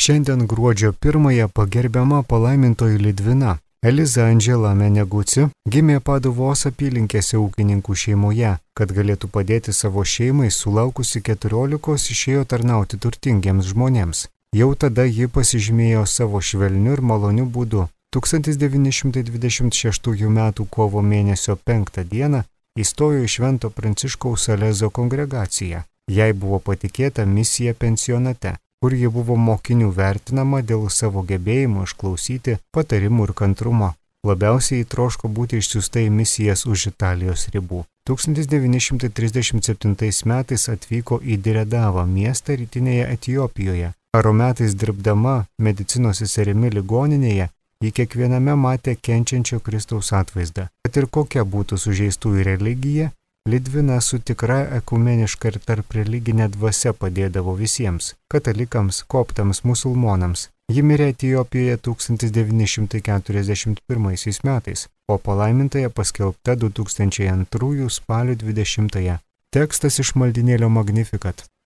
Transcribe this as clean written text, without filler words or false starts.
Šiandien gruodžio 1-ąją pagerbiama palaimintoji Lidvina. Eliza Andžela Meneguci gimė Paduvos apylinkėse ūkininkų šeimoje. Kad galėtų padėti savo šeimai, sulaukusi 14 išėjo tarnauti turtingiems žmonėms. Jau tada ji pasižymėjo savo švelniu ir maloniu būdu. 1926 m. kovo mėnesio 5 dieną įstojo į Švento Pranciškaus Salezo kongregaciją. Jai buvo patikėta misija pensionate, kur ji buvo mokinių vertinama dėl savo gebėjimų išklausyti patarimų ir kantrumo. Labiausiai įtroško būti išsiųsta į misijas už Italijos ribų. 1937 metais atvyko į Diredavą miestą rytinėje Etiopijoje. Karo metais dirbdama medicinos seserimi ligoninėje, ji kiekviename matė kenčiančio Kristaus atvaizdą. Kad ir kokia būtų sužeistųjų religija, Lidvina su tikra ekumeniška ir tarp religinė dvasia padėdavo visiems – katalikams, koptams, musulmonams. Ji mirė Etiopijoje 1941 metais, o palaimintąja paskelbta 2002 spalio 20. Tekstas iš maldynėlio Magnificat.